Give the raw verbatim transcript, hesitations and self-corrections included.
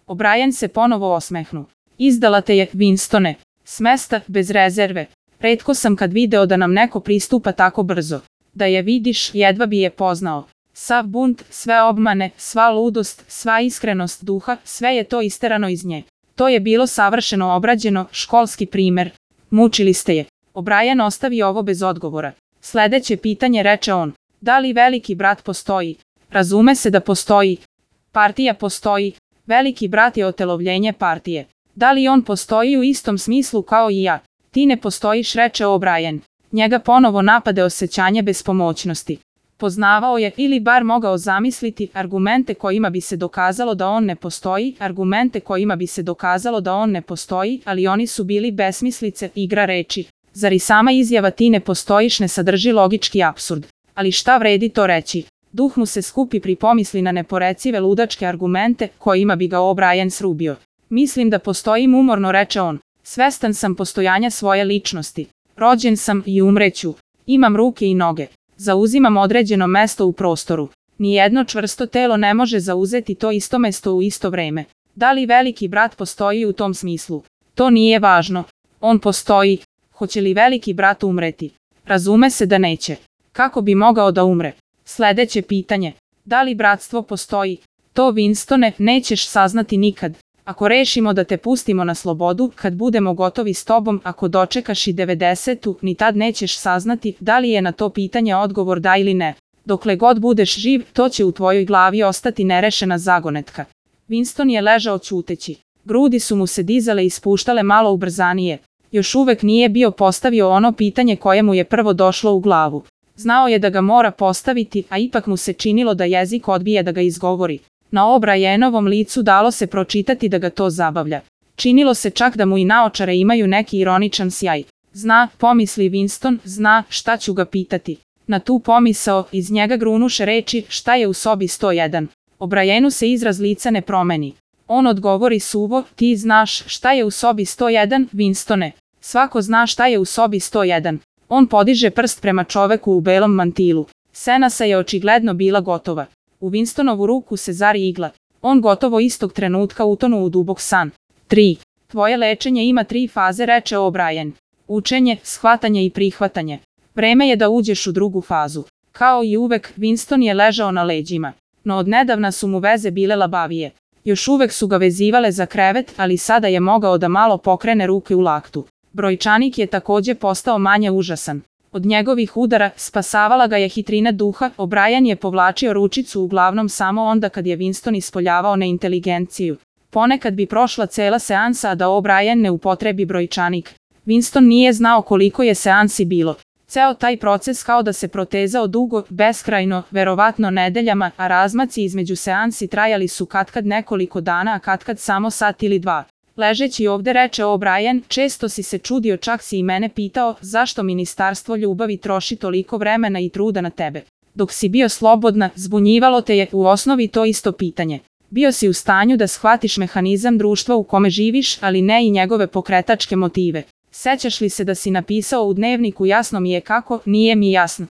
O'Brien se ponovo osmehnu. Izdala te je, Winstone. Smesta, bez rezerve. Retko sam kad video da nam neko pristupa tako brzo. Da je vidiš, jedva bi je poznao. Sav bunt, sve obmane, sva ludost, sva iskrenost duha, sve je to isterano iz nje. To je bilo savršeno obrađeno, školski primer. Mučili ste je. O'Brien ostavi ovo bez odgovora. Sledeće pitanje, reče on. Da li veliki brat postoji? Razume se da postoji. Partija postoji. Veliki brat je otelovljenje partije. Da li on postoji u istom smislu kao i ja? Ti ne postojiš, reče O'Brien. Njega ponovo napade osjećanje bespomoćnosti. Poznavao je, ili bar mogao zamisliti, argumente kojima bi se dokazalo da on ne postoji, argumente kojima bi se dokazalo da on ne postoji, ali oni su bili besmislice, igra reči. Zar i sama izjava ti ne postojiš ne sadrži logički apsurd? Ali šta vredi to reći? Duh mu se skupi pri pomisli na neporecive ludačke argumente kojima bi ga O'Brien srubio. Mislim da postojim, umorno reče on. Svestan sam postojanja svoje ličnosti. Rođen sam i umreću. Imam ruke i noge. Zauzimam određeno mesto u prostoru. Nijedno čvrsto telo ne može zauzeti to isto mesto u isto vreme. Da li veliki brat postoji u tom smislu? To nije važno. On postoji. Hoće li veliki brat umreti? Razume se da neće. Kako bi mogao da umre? Sledeće pitanje. Da li bratstvo postoji? To, Winstone, nećeš saznati nikad. Ako rešimo da te pustimo na slobodu, kad budemo gotovi s tobom, ako dočekaš i devedesetu, ni tad nećeš saznati da li je na to pitanje odgovor da ili ne. Dokle god budeš živ, to će u tvojoj glavi ostati nerešena zagonetka. Winston je ležao ćuteći. Grudi su mu se dizale i spuštale malo ubrzanije. Još uvek nije bio postavio ono pitanje koje mu je prvo došlo u glavu. Znao je da ga mora postaviti, a ipak mu se činilo da jezik odbije da ga izgovori. Na O'Brienovom licu dalo se pročitati da ga to zabavlja. Činilo se čak da mu i naočare imaju neki ironičan sjaj. Zna, pomisli Winston, zna šta ću ga pitati. Na tu pomisao iz njega grunuše reči šta je u sobi sto jedan. O'Brienu se izraz lica ne promeni. On odgovori suvo, ti znaš šta je u sobi sto jedan, Winstone. Svako zna šta je u sobi sto jedan. On podiže prst prema čoveku u belom mantilu. Senasa je očigledno bila gotova. U Winstonovu ruku se zari igla. On gotovo istog trenutka utonu u dubok san. tri. Tvoje lečenje ima tri faze, reče O'Brien. Učenje, shvatanje i prihvatanje. Vreme je da uđeš u drugu fazu. Kao i uvek, Winston je ležao na leđima. No odnedavna su mu veze bile labavije. Još uvek su ga vezivale za krevet, ali sada je mogao da malo pokrene ruke u laktu. Brojčanik je takođe postao manje užasan. Od njegovih udara spasavala ga je hitrina duha, O'Brien je povlačio ručicu uglavnom samo onda kad je Winston ispoljavao neinteligenciju. Ponekad bi prošla cela seansa a da O'Brien ne upotrebi brojčanik. Winston nije znao koliko je seansi bilo. Ceo taj proces kao da se protezao dugo, beskrajno, verovatno nedeljama, a razmaci između seansi trajali su katkad nekoliko dana, a katkad samo sat ili dva. Ležeći ovde, reče O'Brien, često si se čudio, čak si i mene pitao zašto ministarstvo ljubavi troši toliko vremena i truda na tebe. Dok si bio slobodna, zbunjivalo te je u osnovi to isto pitanje. Bio si u stanju da shvatiš mehanizam društva u kome živiš, ali ne i njegove pokretačke motive. Sećaš li se da si napisao u dnevniku jasno mi je kako, nije mi jasno.